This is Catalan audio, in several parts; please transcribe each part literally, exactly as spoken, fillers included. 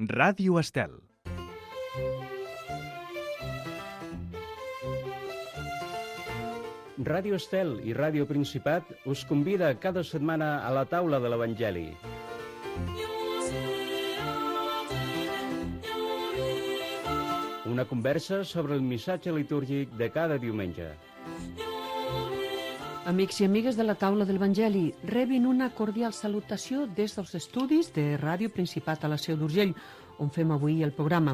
Ràdio Estel. Ràdio Estel i Ràdio Principat us convida cada setmana a la taula de l'Evangeli. Una conversa sobre el missatge litúrgic de cada diumenge. Amics i amigues de la taula de l'Evangeli, rebin una cordial salutació des dels estudis de Ràdio Principat a la Seu d'Urgell, on fem avui el programa.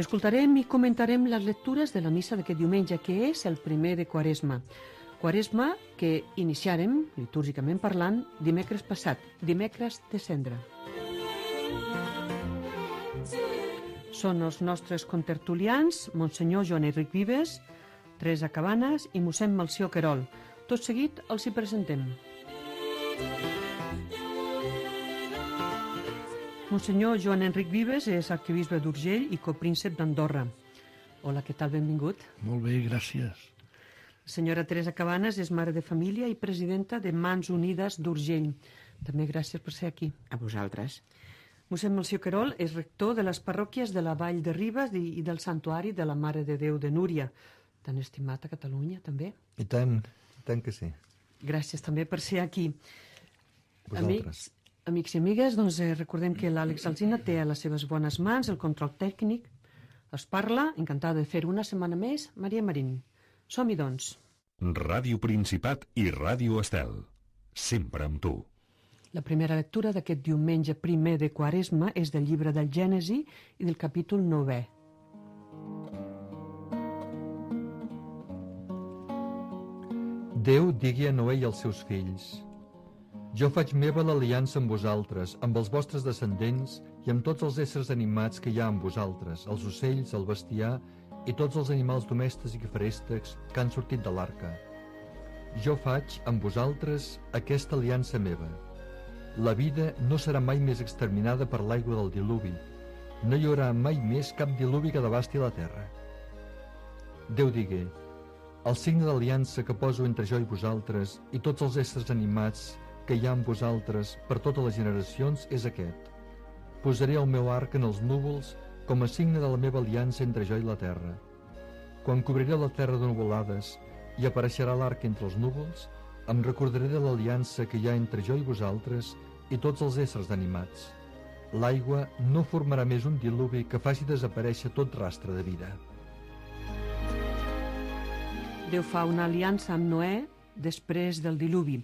Escoltarem i comentarem les lectures de la missa d'aquest diumenge, que és el primer de Quaresma. Quaresma que iniciarem, litúrgicament parlant, dimecres passat, dimecres de Cendra. Són els nostres contertulians, Monsenyor Joan Enric Vives, Teresa Cabanes i mossèn Melcior Querol. Tot seguit els hi presentem. Monsenyor Joan Enric Vives és arquebisbe d'Urgell i copríncep d'Andorra. Hola, què tal? Benvingut. Molt bé, gràcies. Senyora Teresa Cabanes és mare de família i presidenta de Mans Unides d'Urgell. També gràcies per ser aquí. A vosaltres. Mossèn Melcior Querol és rector de les parròquies de la Vall de Ribes i del Santuari de la Mare de Déu de Núria, tan estimat a Catalunya, també. I tant, i tant que sí. Gràcies també per ser aquí. Vosaltres. Amics, amics i amigues, doncs eh, recordem que l'Àlex Alsina té a les seves bones mans el control tècnic. Es parla, encantada de fer una setmana més, Maria Marín. Som-hi, doncs. Ràdio Principat i Ràdio Estel. Sempre amb tu. La primera lectura d'aquest diumenge primer de Quaresma és del llibre del Gènesi i del capítol novè. Déu digui a Noè i als seus fills: jo faig meva l'aliança amb vosaltres, amb els vostres descendents i amb tots els éssers animats que hi ha amb vosaltres, els ocells, el bestiar i tots els animals domèstics i feréstecs que han sortit de l'arca. Jo faig amb vosaltres aquesta aliança meva. La vida no serà mai més exterminada per l'aigua del diluvi. No hi haurà mai més cap diluvi que devasti la terra. Déu digué: el signe d'aliança que poso entre jo i vosaltres i tots els éssers animats que hi ha amb vosaltres per totes les generacions és aquest. Posaré el meu arc en els núvols com a signe de la meva aliança entre jo i la terra. Quan cobriré la terra de nuvolades i apareixerà l'arc entre els núvols, em recordaré de l'aliança que hi ha entre jo i vosaltres i tots els éssers animats. L'aigua no formarà més un diluvi que faci desaparèixer tot rastre de vida. Déu fa una aliança amb Noè després del diluvi.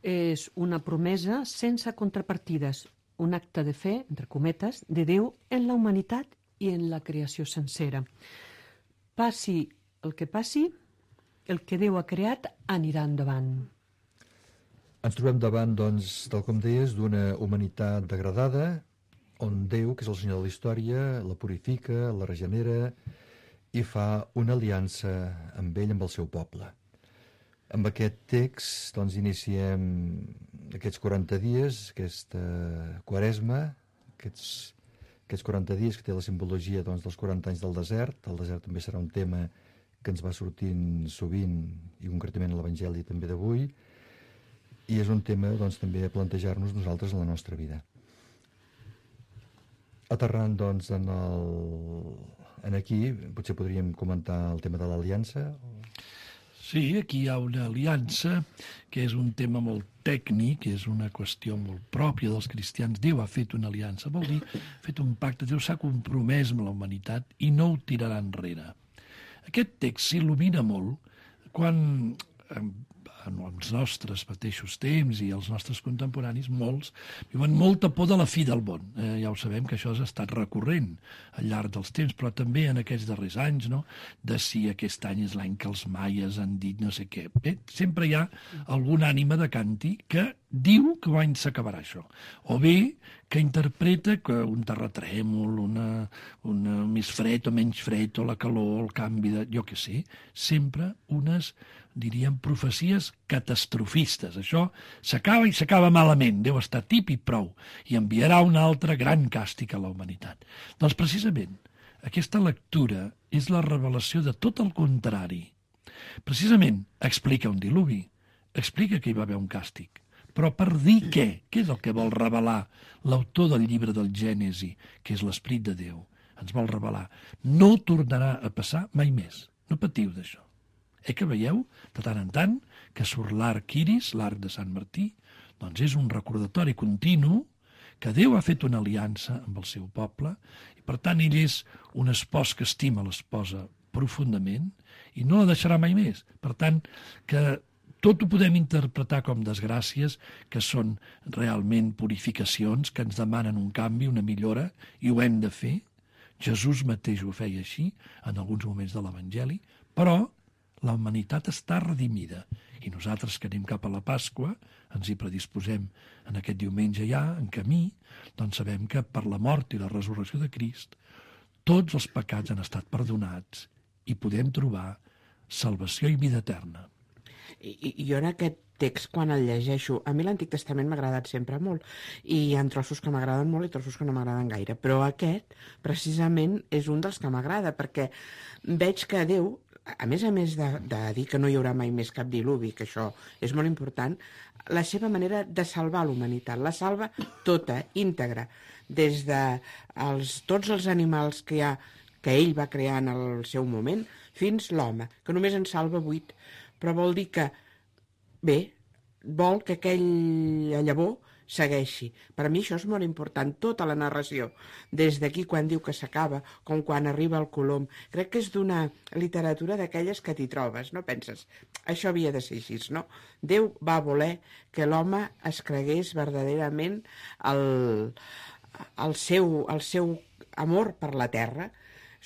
És una promesa sense contrapartides, un acte de fe, entre cometes, de Déu en la humanitat i en la creació sencera. Passi el que passi, el que Déu ha creat anirà endavant. Ens trobem davant, doncs, tal com deies, d'una humanitat degradada, on Déu, que és el Senyor de la història, la purifica, la regenera i fa una aliança amb ell, amb el seu poble. Amb aquest text, doncs, iniciem aquests quaranta dies, aquesta Quaresma, aquests, aquests quaranta dies que té la simbologia, doncs, dels quaranta anys del desert. El desert també serà un tema que ens va sortint sovint, i concretament a l'Evangeli també d'avui, i és un tema, doncs, també a plantejar-nos nosaltres en la nostra vida. Aterrant, doncs, en, el... en aquí, potser podríem comentar el tema de l'aliança. Sí, aquí hi ha una aliança que és un tema molt tècnic, és una qüestió molt pròpia dels cristians. Déu ha fet una aliança, vol dir, ha fet un pacte. Déu s'ha compromès amb la humanitat i no ho tirarà enrere. Aquest text s'il·lumina molt quan en els nostres mateixos temps i els nostres contemporanis, molts, viuen molta por de la fi del món. Eh, ja ho sabem que això ha estat recurrent al llarg dels temps, però també en aquests darrers anys, no?, de si aquest any és l'any que els maies han dit no sé què. Bé, sempre hi ha alguna ànima de canti que diu que l'any s'acabarà això. O bé que interpreta que un terratrèmol, una, una més fred o menys fred, o la calor, el canvi de... jo què sé, sempre unes, diríem, profecies catastrofistes. Això s'acaba i s'acaba malament. Déu està tip i prou. I enviarà un altre gran càstig a la humanitat. Doncs precisament aquesta lectura és la revelació de tot el contrari. Precisament explica un diluvi, explica que hi va haver un càstig, Però per dir què? Què és el que vol revelar l'autor del llibre del Gènesi, que és l'Esperit de Déu? Ens vol revelar. No tornarà a passar mai més. No patiu d'això. Eh que veieu, de tant en tant, que surt l'arc iris, l'arc de Sant Martí, doncs és un recordatori continu que Déu ha fet una aliança amb el seu poble i, per tant, ell és un espòs que estima l'esposa profundament i no la deixarà mai més. Per tant, que tot ho podem interpretar com desgràcies, que són realment purificacions, que ens demanen un canvi, una millora, i ho hem de fer. Jesús mateix ho feia així, en alguns moments de l'Evangeli, però la humanitat està redimida. I nosaltres que anem cap a la Pasqua, ens hi predisposem en aquest diumenge ja, en camí, doncs sabem que per la mort i la resurrecció de Crist tots els pecats han estat perdonats i podem trobar salvació i vida eterna. I, i jo en aquest text, quan el llegeixo, a mi l'Antic Testament m'ha agradat sempre molt, i hi ha trossos que m'agraden molt i trossos que no m'agraden gaire, però aquest, precisament, és un dels que m'agrada, perquè veig que Déu, a més a més de, de dir que no hi haurà mai més cap diluvi, que això és molt important, la seva manera de salvar l'humanitat, la salva tota, íntegra, des de els, tots els animals que hi ha, que ell va crear en el seu moment, fins l'home, que només en salva vuit, però vol dir que, bé, vol que aquella llavor segueixi. Per a mi això és molt important, tota la narració, des d'aquí quan diu que s'acaba, com quan arriba el colom. Crec que és d'una literatura d'aquelles que t'hi trobes, no penses? Això havia de ser així, no? Déu va voler que l'home es cregués verdaderament el, el, seu, el seu amor per la terra,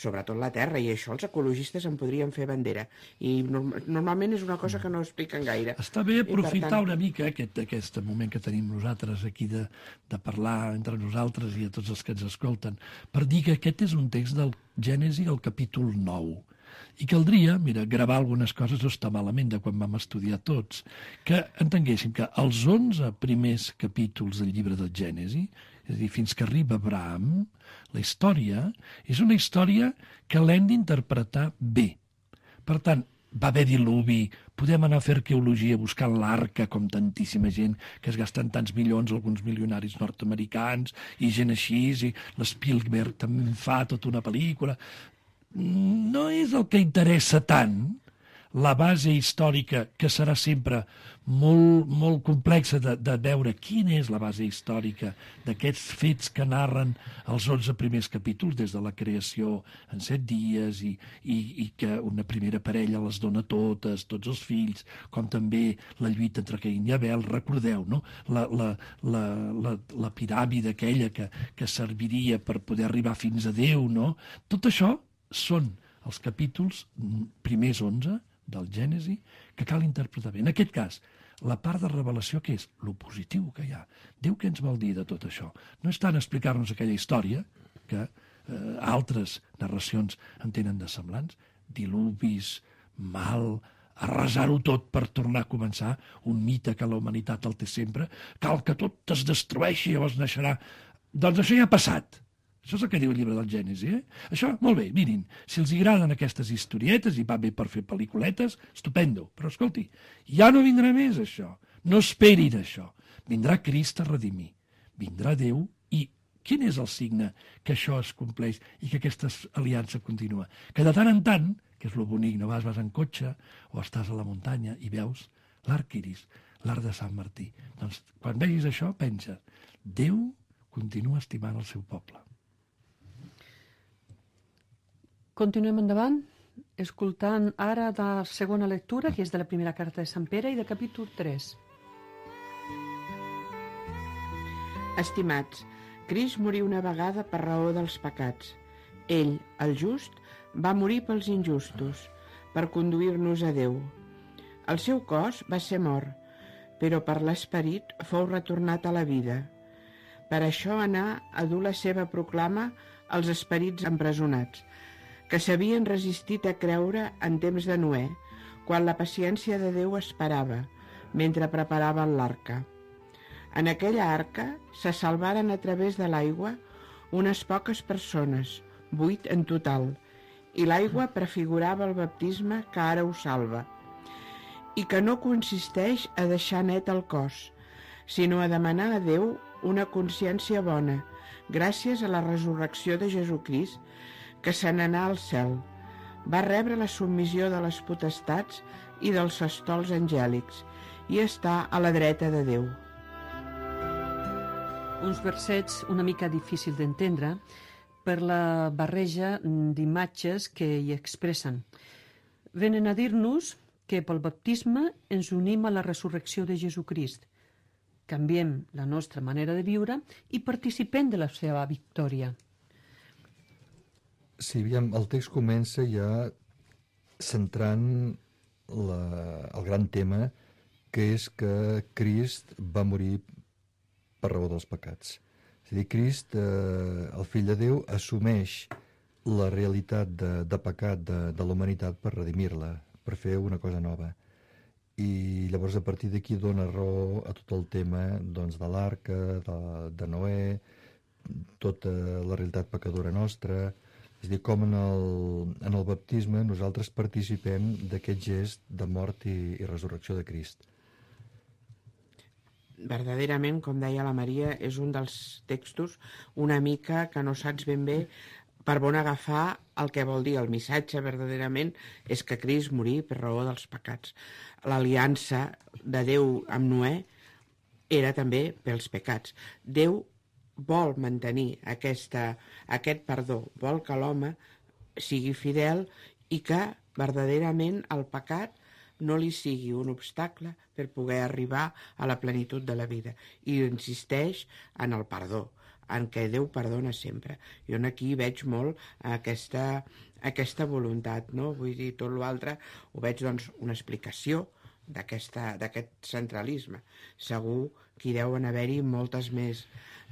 sobretot la terra, i això els ecologistes en podrien fer bandera. I norm normalment és una cosa que no expliquen gaire. Està bé aprofitar tant... una mica aquest, aquest moment que tenim nosaltres aquí de, de parlar entre nosaltres i a tots els que ens escolten, per dir que aquest és un text del Gènesi, el capítol nou. I caldria, mira, gravar algunes coses, no està malament de quan vam estudiar tots, que entenguéssim que els onze primers capítols del llibre del Gènesi, és a dir, fins que arriba Abraham, la història és una història que l'hem d'interpretar bé. Per tant, va haver diluvi, podem anar a fer arqueologia buscant l'arca, com tantíssima gent que es gasten tants milions, alguns milionaris nord-americans, i gent així, i l'Spielberg també fa tota una pel·lícula. No és el que interessa tant la base històrica, que serà sempre molt, molt complexa de, de veure quina és la base històrica d'aquests fets que narren els onze primers capítols, des de la creació en set dies, i, i, i que una primera parella les dona totes, tots els fills, com també la lluita entre Caín i Abel. Recordeu, no? La, la, la, la, la piràmide aquella que, que serviria per poder arribar fins a Déu, no? Tot això són els capítols primers onze del Gènesi que cal interpretar bé. En aquest cas, la part de revelació, que és lo positiu que hi ha. Déu què ens vol dir de tot això? No és tant explicar-nos aquella història, que eh, altres narracions en tenen de semblants, diluvis, mal, arrasar-ho tot per tornar a començar, un mite que la humanitat el té sempre, cal que tot es destrueixi i llavors naixerà. Doncs això ja ha passat. Això és el que diu el llibre del Gènesi, eh? Això, molt bé, mirin, si els agraden aquestes historietes i va bé per fer pel·lículetes, estupendo. Però, escolti, ja no vindrà més això. No esperin això. Vindrà Crist a redimir. Vindrà Déu i quin és el signe que això es compleix i que aquesta aliança continua? Que de tant en tant, que és lo bonic, no vas, vas en cotxe o estàs a la muntanya i veus l'arc iris, l'arc de Sant Martí. Doncs, quan vegis això, pensa, Déu continua estimant el seu poble. Continuem endavant, escoltant ara de la segona lectura, que és de la primera carta de Sant Pere i de capítol tres. Estimats, Crist morí una vegada per raó dels pecats. Ell, el just, va morir pels injustos, per conduir-nos a Déu. El seu cos va ser mort, però per l'esperit fou retornat a la vida. Per això anà a dur la seva proclama als esperits empresonats, que s'havien resistit a creure en temps de Noè, quan la paciència de Déu esperava, mentre preparaven l'arca. En aquella arca se salvaren a través de l'aigua unes poques persones, vuit en total, i l'aigua prefigurava el baptisme que ara ho salva, i que no consisteix a deixar net el cos, sinó a demanar a Déu una consciència bona, gràcies a la resurrecció de Jesucrist, que se n'anà al cel. Va rebre la submissió de les potestats i dels estols angèlics i està a la dreta de Déu. Uns versets una mica difícil d'entendre per la barreja d'imatges que hi expressen. Venen a dir-nos que pel baptisme ens unim a la resurrecció de Jesucrist, canviem la nostra manera de viure i participem de la seva victòria. Sí, aviam, el text comença ja centrant la, el gran tema, que és que Crist va morir per raó dels pecats. És a dir, Crist, eh, el fill de Déu, assumeix la realitat de, de pecat de, de la humanitat per redimir-la, per fer una cosa nova. I llavors a partir d'aquí dona raó a tot el tema doncs, de l'arca, de, de Noè, tota la realitat pecadora nostra. És a dir, com en el, en el baptisme nosaltres participem d'aquest gest de mort i, i resurrecció de Crist. Verdaderament, com deia la Maria, és un dels textos una mica que no saps ben bé per on agafar el que vol dir. El missatge, verdaderament, és que Crist morí per raó dels pecats. L'aliança de Déu amb Noè era també pels pecats. Déu vol mantenir aquesta, aquest perdó, vol que l'home sigui fidel i que, verdaderament, el pecat no li sigui un obstacle per poder arribar a la plenitud de la vida. I insisteix en el perdó, en què Déu perdona sempre. Jo aquí veig molt aquesta, aquesta voluntat, no? Vull dir, tot l'altre ho veig, doncs, una explicació d'aquest centralisme. Segur que hi deuen haver-hi moltes més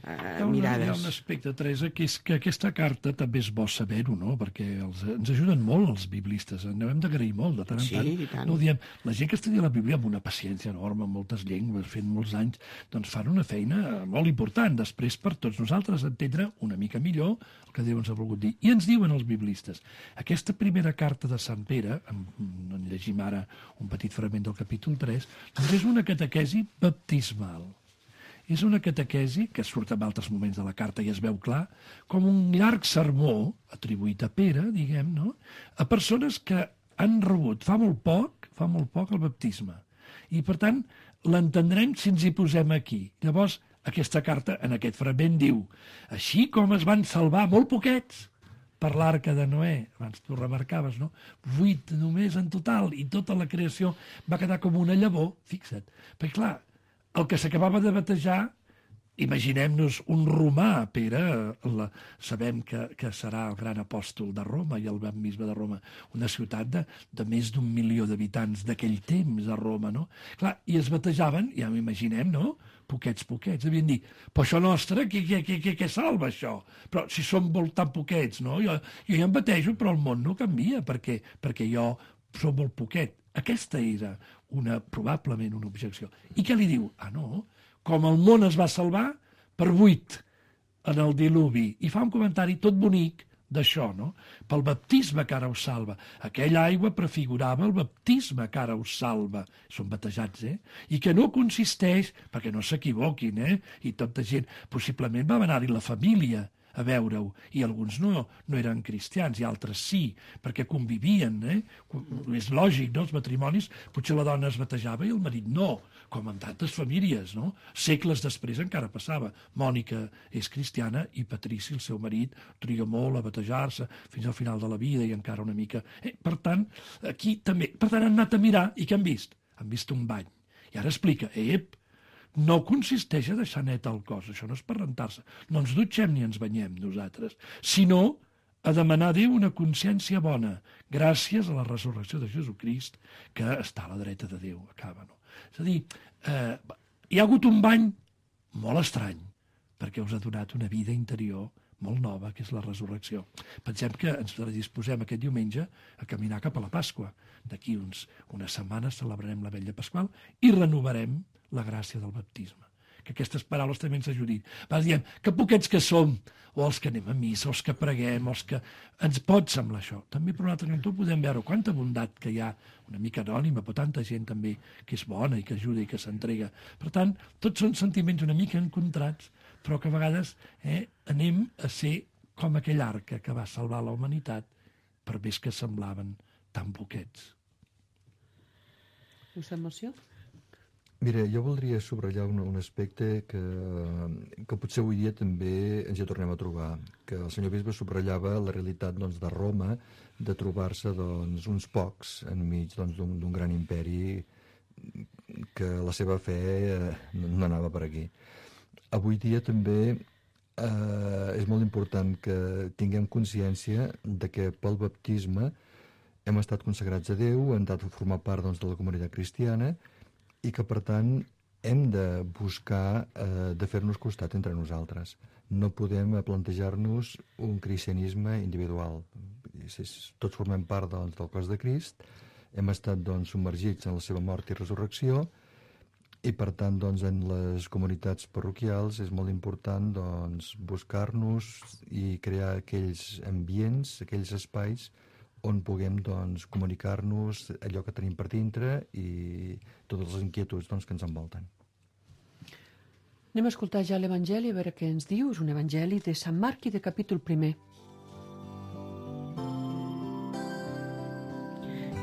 eh, hi una, mirades. Hi ha un aspecte, Teresa, que és que aquesta carta també és bo saber-ho, no? Perquè els, ens ajuden molt els biblistes, en hem d'agrair molt, de tant en Sí, tant. i tant. No ho diem. La gent que estudia la Bíblia amb una paciència enorme, amb moltes llengües, fent molts anys, doncs fan una feina molt important, després per tots nosaltres entendre una mica millor el que Déu ens ha volgut dir. I ens diuen els biblistes, aquesta primera carta de Sant Pere, en, en llegim ara un petit fragment del capítol tres, doncs és una catequesi baptismal. És una catequesi, que surt en altres moments de la carta i es veu clar, com un llarg sermó atribuït a Pere, diguem, no?, a persones que han rebut fa molt poc, fa molt poc el baptisme. I, per tant, l'entendrem si ens hi posem aquí. Llavors, aquesta carta, en aquest fragment, diu així com es van salvar molt poquets per l'arca de Noè, abans tu remarcaves, no? Vuit només en total, i tota la creació va quedar com una llavor, fixa't. Perquè, clar, el que s'acabava de batejar, imaginem-nos un romà, Pere, la, sabem que, que serà el gran apòstol de Roma i el gran bisbe de Roma, una ciutat de, de més d'un milió d'habitants d'aquell temps a Roma, no? Clar, i es batejaven, ja m'imaginem, no?, poquets, poquets, devien dir, però això nostre, què, què, què, què, què salva això? Però si som molt tan poquets, no? Jo, jo ja em batejo, però el món no canvia, perquè, perquè jo som molt poquet. Aquesta era una, probablement una objecció. I què li diu? Ah, no, com el món es va salvar per vuit en el diluvi. I fa un comentari tot bonic d'això, no? Pel baptisme que ara us salva. Aquella aigua prefigurava el baptisme que ara us salva. Són batejats, eh? I que no consisteix, perquè no s'equivoquin, eh? I tota gent, possiblement va anar-hi la família a veure-ho, i alguns no, no eren cristians, i altres sí, perquè convivien, eh? És lògic, no?, els matrimonis, potser la dona es batejava i el marit no, com en tantes famílies, no? Segles després encara passava. Mònica és cristiana i Patrici, el seu marit, triga molt a batejar-se fins al final de la vida i encara una mica... Eh, per tant, aquí també... Per tant, han anat a mirar i què han vist? Han vist un bany. I ara explica, ep, no consisteix a deixar net el cos, això no és per rentar-se, no ens dutxem ni ens banyem nosaltres, sinó a demanar a Déu una consciència bona, gràcies a la resurrecció de Jesucrist, que està a la dreta de Déu, acaba, no? És a dir, eh, hi ha hagut un bany molt estrany, perquè us ha donat una vida interior molt nova, que és la resurrecció. Pensem que ens disposem aquest diumenge a caminar cap a la Pasqua. D'aquí uns, unes setmanes celebrarem la vetlla pasqual i renovarem la gràcia del baptisme. que aquestes paraules també ens ajudin. Va, diem, que poquets que som, o els que anem a missa, els que preguem, els que... Ens pot semblar això. També per un altre cantó podem veure quanta bondat que hi ha, una mica anònima, però tanta gent també que és bona i que ajuda i que s'entrega. Per tant, tots són sentiments una mica encontrats, però que a vegades eh, anem a ser com aquell arca que va salvar la humanitat, per més que semblaven tan poquets. Us emoció? Mira, jo voldria subratllar un, un aspecte que, que potser avui dia també ens hi tornem a trobar, que el senyor bisbe subratllava la realitat doncs, de Roma, de trobar-se doncs, uns pocs enmig doncs, d'un d'un gran imperi que la seva fe eh, no anava per aquí. Avui dia també eh, és molt important que tinguem consciència de que pel baptisme hem estat consagrats a Déu, hem de formar part doncs, de la comunitat cristiana, i que, per tant, hem de buscar eh, de fer-nos costat entre nosaltres. No podem plantejar-nos un cristianisme individual. Tots formem part doncs, del cos de Crist, hem estat doncs, submergits en la seva mort i resurrecció, i, per tant, doncs, en les comunitats parroquials és molt important doncs, buscar-nos i crear aquells ambients, aquells espais on puguem doncs, comunicar-nos allò que tenim per dintre i totes les inquietuds doncs, que ens envolten. Anem a escoltar ja l'Evangeli, a veure què ens diu. És un Evangeli de Sant Marc i de capítol primer.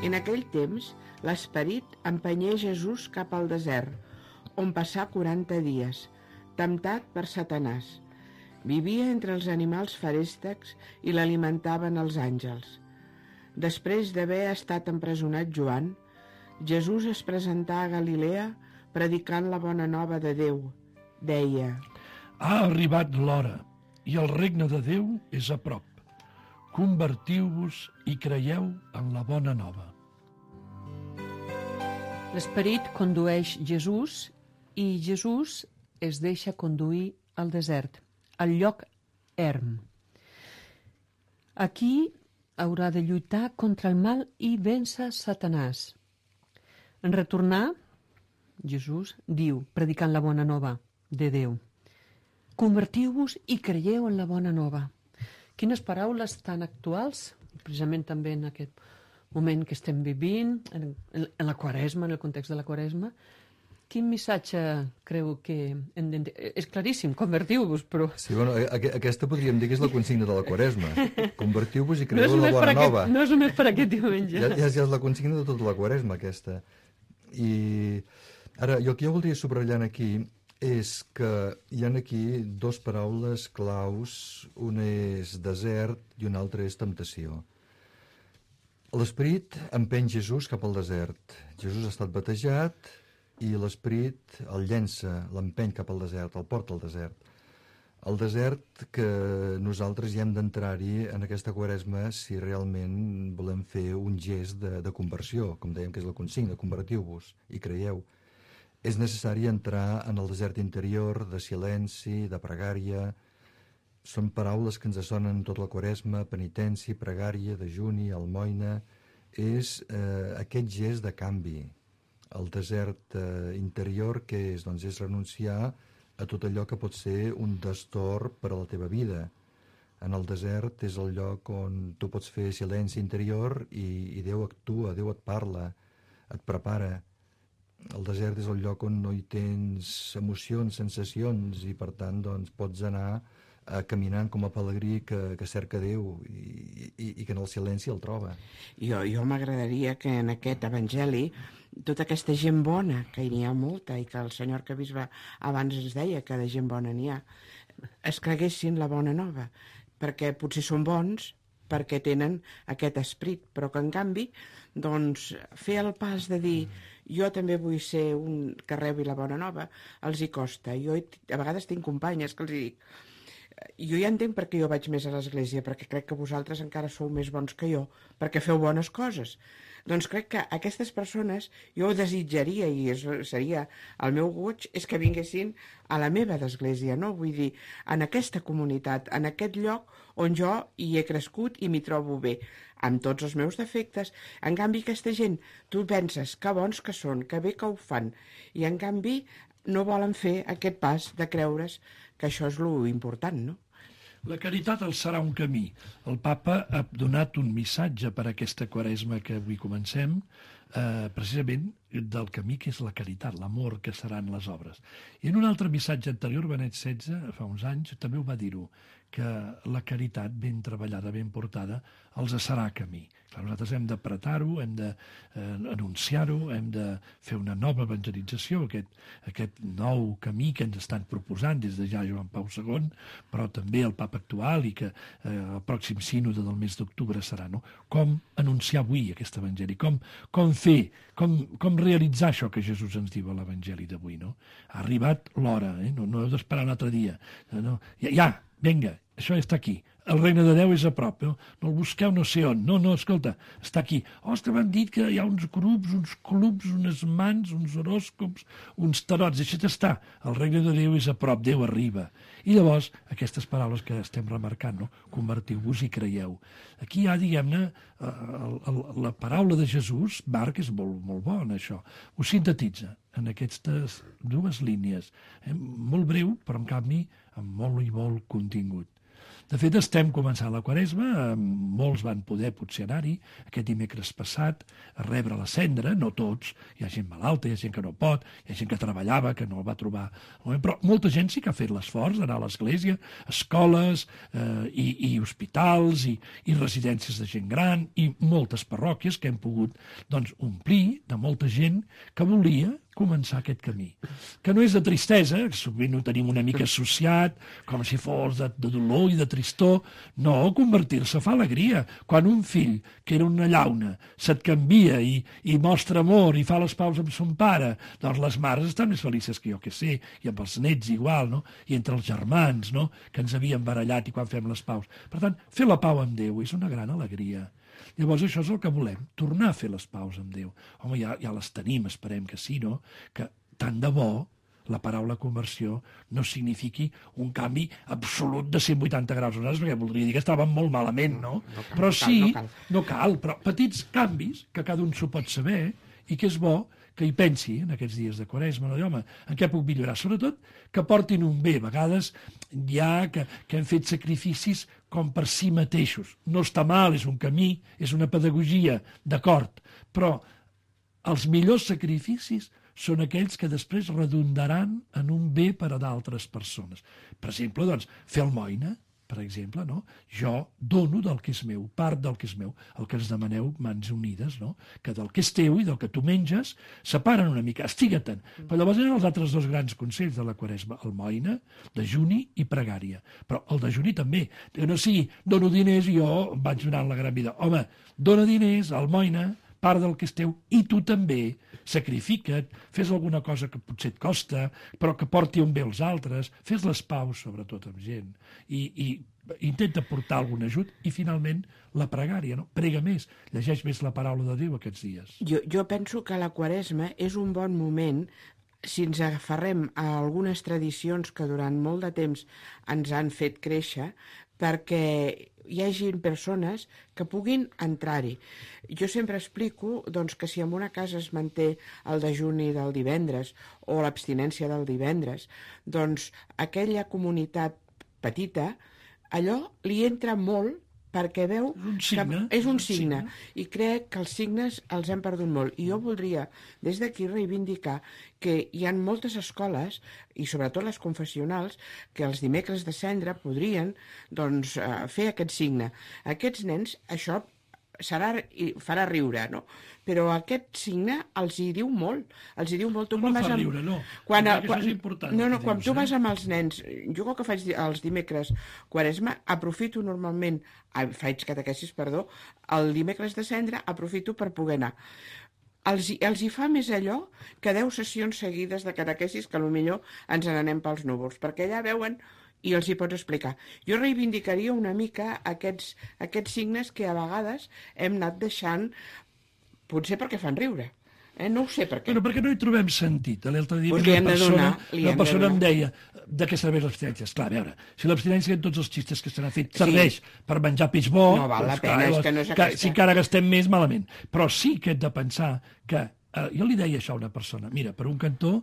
En aquell temps, l'Esperit empenyé Jesús cap al desert, on passà quaranta dies, temptat per Satanàs. Vivia entre els animals feréstecs i l'alimentaven els àngels. Després d'haver estat empresonat Joan, Jesús es presentà a Galilea predicant la bona nova de Déu. Deia: Ha arribat l'hora i el regne de Déu és a prop. Convertiu-vos i creieu en la bona nova. L'Esperit condueix Jesús i Jesús es deixa conduir al desert, al lloc erm. Aquí haurà de lluitar contra el mal i vèncer Satanàs. En retornar, Jesús diu, predicant la bona nova de Déu: convertiu-vos i creieu en la bona nova. Quines paraules tan actuals, precisament també en aquest moment que estem vivint, en, en la Quaresma, en el context de la Quaresma. Quin missatge creu que... Hem de... És claríssim, convertiu-vos, però... Sí, bueno, aquesta podríem dir que és la consigna de la Quaresma. Convertiu-vos i creieu no en la bona nova. Aquest, no és només per aquest diumenge. Ja, ja, ja és la consigna de tota la Quaresma, aquesta. I ara, jo el que jo voldria subratllar aquí és que hi ha aquí dos paraules claus. Una és desert i una altra és temptació. L'Esperit empeny Jesús cap al desert. Jesús ha estat batejat i l'Esperit el llença, l'empeny cap al desert, el porta al desert. El desert que nosaltres hi hem d'entrar-hi en aquesta Quaresma si realment volem fer un gest de, de conversió, com dèiem que és la consigna, convertiu-vos i creieu. És necessari entrar en el desert interior de silenci, de pregària. Són paraules que ens sonen tota la Quaresma: penitència, pregària, dejuni, almoina. És eh, aquest gest de canvi. El desert eh, interior, que és? Doncs és renunciar a tot allò que pot ser un destorb per a la teva vida. En el desert és el lloc on tu pots fer silenci interior i, i Déu actua, Déu et parla, et prepara. El desert és el lloc on no hi tens emocions, sensacions, i per tant doncs, pots anar eh, caminant com a pelegrí que, que cerca Déu i, i, i que en el silenci el troba. Jo, jo m'agradaria que en aquest Evangeli tota aquesta gent bona, que hi ha molta, i que el senyor Arquebisbe abans ens deia que de gent bona n'hi ha, es creguessin la bona nova, perquè potser són bons, perquè tenen aquest esperit, però que en canvi, doncs, fer el pas de dir jo també vull ser un que rebi la bona nova, els hi costa. Jo a vegades tinc companyes que els hi dic, jo ja entenc per què jo vaig més a l'església, perquè crec que vosaltres encara sou més bons que jo, perquè feu bones coses. Doncs crec que aquestes persones, jo ho desitjaria, i és, seria el meu goig, és que vinguessin a la meva església, no? Vull dir, en aquesta comunitat, en aquest lloc on jo hi he crescut i m'hi trobo bé, amb tots els meus defectes. En canvi, aquesta gent, tu penses que bons que són, que bé que ho fan, i en canvi no volen fer aquest pas de creure's que això és lo important, no? La caritat el serà un camí. El papa ha donat un missatge per a aquesta quaresma que avui comencem, eh, precisament del camí que és la caritat, l'amor que seran les obres. I en un altre missatge anterior, Benet setze, fa uns anys, també ho va dir-ho, que la caritat ben treballada, ben portada, els serà camí. Clar, nosaltres hem d'apretar-ho, hem d'anunciar-ho, hem de fer una nova evangelització, aquest, aquest nou camí que ens estan proposant des de ja Joan Pau segon, però també el papa actual i que eh, el pròxim sínode del mes d'octubre serà, no? Com anunciar avui aquest evangeli, com, com fer, com, com realitzar això que Jesús ens diu a l'evangeli d'avui, no? Ha arribat l'hora, eh? no, no heu d'esperar un altre dia. No, no. Ja, ja, vinga, això està aquí. El regne de Déu és a prop, no, no el busqueu no sé on. No, no, escolta, està aquí. Oh, és que m'han dit que hi ha uns grups, uns clubs, unes mans, uns horòscops, uns tarots. Deixa't estar. El regne de Déu és a prop, Déu arriba. I llavors, aquestes paraules que estem remarcant, no? Convertiu-vos i creieu. Aquí hi ha, diguem-ne, la paraula de Jesús, Marc és molt, molt bo en això. Ho sintetitza en aquestes dues línies. Eh? Molt breu, però en canvi amb molt i molt contingut. De fet, estem començant la quaresma, molts van poder potser anar-hi aquest dimecres passat a rebre la cendra, no tots, hi ha gent malalta, hi ha gent que no pot, hi ha gent que treballava, que no el va trobar, però molta gent sí que ha fet l'esforç d'anar a l'església, escoles eh, i, i hospitals i, i residències de gent gran i moltes parròquies que hem pogut doncs, omplir de molta gent que volia començar aquest camí. Que no és de tristesa, que sovint ho tenim una mica associat, com si fos de, de dolor i de tristor. No, convertir-se fa alegria. Quan un fill, que era una llauna, se't canvia i, i mostra amor i fa les paus amb son pare, doncs les mares estan més felices que jo que sé, i amb els nets igual, no? I entre els germans, no? Que ens havíem barallat i quan fem les paus. Per tant, fer la pau amb Déu és una gran alegria. Llavors això és el que volem, tornar a fer les paus amb Déu. Home, ja, ja les tenim, esperem que sí, no? Que tant de bo la paraula conversió no signifiqui un canvi absolut de cent vuitanta graus horaris, perquè voldria dir que estàvem molt malament, no? No cal, però sí, no cal, no cal, però petits canvis que cada un s'ho pot saber i que és bo que hi pensi en aquests dies de Quaresma, no? Home, en què puc millorar? Sobretot que portin un bé. A vegades hi ha que, que hem fet sacrificis com per si mateixos. No està mal, és un camí, és una pedagogia, d'acord, però els millors sacrificis són aquells que després redundaran en un bé per a d'altres persones. Per exemple, doncs, fer almoina, per exemple, no? Jo dono del que és meu, part del que és meu, el que ens demaneu mans unides, no? Que del que és teu i del que tu menges separen una mica, estiga-te'n. Però llavors eren els altres dos grans consells de la Quaresma, almoina, dejuni i pregària. Però el dejuni també, que no sigui dono diners i jo em vaig donant la gran vida. Home, dona diners, almoina, part del que és teu, i tu també sacrifica't, fes alguna cosa que potser et costa, però que porti un bé als altres, fes les paus, sobretot amb gent, i, i intenta portar algun ajut, i finalment la pregària, no? Prega més, llegeix més la paraula de Déu aquests dies. Jo, jo penso que la Quaresma és un bon moment si ens aferrem a algunes tradicions que durant molt de temps ens han fet créixer, perquè hi hagi persones que puguin entrar-hi. Jo sempre explico doncs, que si en una casa es manté el dejuni del divendres o l'abstinència del divendres, doncs aquella comunitat petita, allò li entra molt perquè veu un signe, que és un signe, i crec que els signes els hem perdut molt. I jo voldria des d'aquí reivindicar que hi ha moltes escoles, i sobretot les confessionals, que els dimecres de cendra podrien doncs, fer aquest signe. Aquests nens, això serà, farà riure, no? Però aquest signe els hi diu molt. Els hi diu molt. Tu no, no fa amb... riure, no. Quan, quan... quan... Això és important. No, no, quan dius, tu eh? vas amb els nens, jo com que faig els dimecres Quaresma, aprofito normalment, faig catequesis, perdó, el dimecres de cendra aprofito per poder anar. Els, els hi fa més allò que deu sessions seguides de catequesis que potser ens n'anem pels núvols, perquè allà veuen i els hi pots explicar. Jo reivindicaria una mica aquests, aquests signes que a vegades hem anat deixant, potser perquè fan riure. Eh? No ho sé per què. Bueno, perquè no hi trobem sentit. L'altre dia pues una persona, donar, una persona em deia de què serveix l'abstinència. Esclar, a veure, si l'abstinència en tots els xistes que se n'ha fet serveix sí. per menjar peix bo, no val la doncs, pena, clar, és que no és que, aquesta. si encara gastem més, malament. Però sí que hem de pensar que eh, jo li deia això a una persona, mira, per un cantó,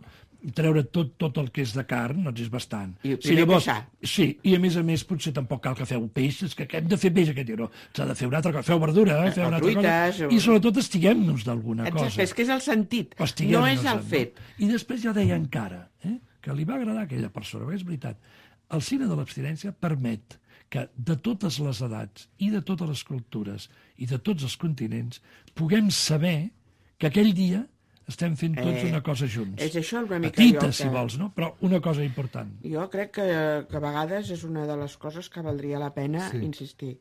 treure tot, tot el que és de carn, doncs és bastant. I primer queixar. Sí, i a més a més potser tampoc cal que feu peix, és que hem de fer peix aquest dia, no, s'ha de fer una altra cosa, feu verdura, eh? Feu una altra truites, cosa, o... i sobretot estiguem-nos d'alguna cosa. Exacte, és que és el sentit, Estiguem no és el no? fet. I després ja deia encara, eh? que li va agradar a aquella persona, perquè és veritat, el cine de l'abstinència permet que de totes les edats i de totes les cultures i de tots els continents puguem saber que aquell dia estem fent tots Eh, una cosa junts. és això una mica Petita, jo que- si vols, no? Però una cosa important. Jo crec que, que a vegades és una de les coses que valdria la pena Sí. insistir.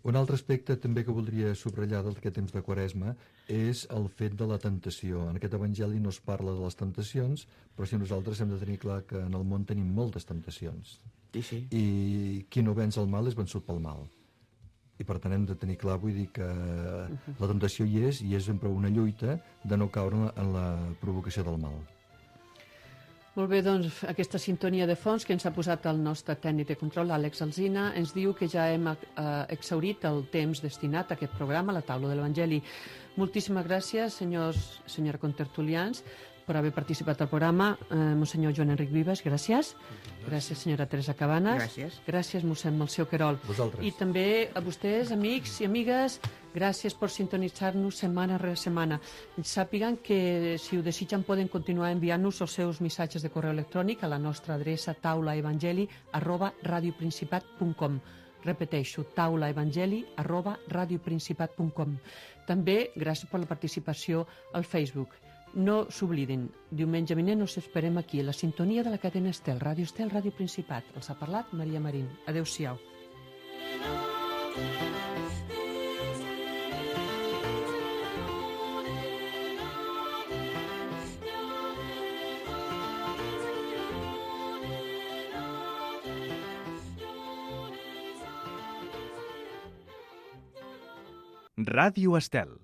Un altre aspecte també que voldria subratllar d'aquest temps de Quaresma és el fet de la tentació. En aquest evangeli no es parla de les tentacions, però si nosaltres hem de tenir clar que en el món tenim moltes tentacions. Sí, sí. I qui no venç el mal és vençut pel mal. I per tant hem de tenir clar, vull dir que la tentació hi és, i és sempre una lluita de no caure en la, en la provocació del mal. Molt bé, doncs aquesta sintonia de fons que ens ha posat el nostre tècnic de control, Àlex Alsina, ens diu que ja hem eh, exhaurit el temps destinat a aquest programa, la taula de l'Evangeli. Moltíssimes gràcies, senyors, senyora contertulians, per haver participat al programa. Eh, Monsenyor Joan Enric Vives, gràcies. Gràcies, senyora Teresa Cabanes. Gràcies. Gràcies, mossèn Melcior Querol. Vosaltres. I també a vostès, amics i amigues, gràcies per sintonitzar-nos setmana rere setmana. Sàpiguen que, si ho desitgen, poden continuar enviant-nos els seus missatges de correu electrònic a la nostra adreça taulaevangeli arroba radioprincipat punt com. Repeteixo, taulaevangeli arroba radioprincipat punt com. També gràcies per la participació al Facebook. No s'oblidin, diumenge vinent us esperem aquí, a la sintonia de la cadena Estel, Ràdio Estel, Ràdio Principat. Els ha parlat Maria Marín. Adéu-siau. Ràdio Estel.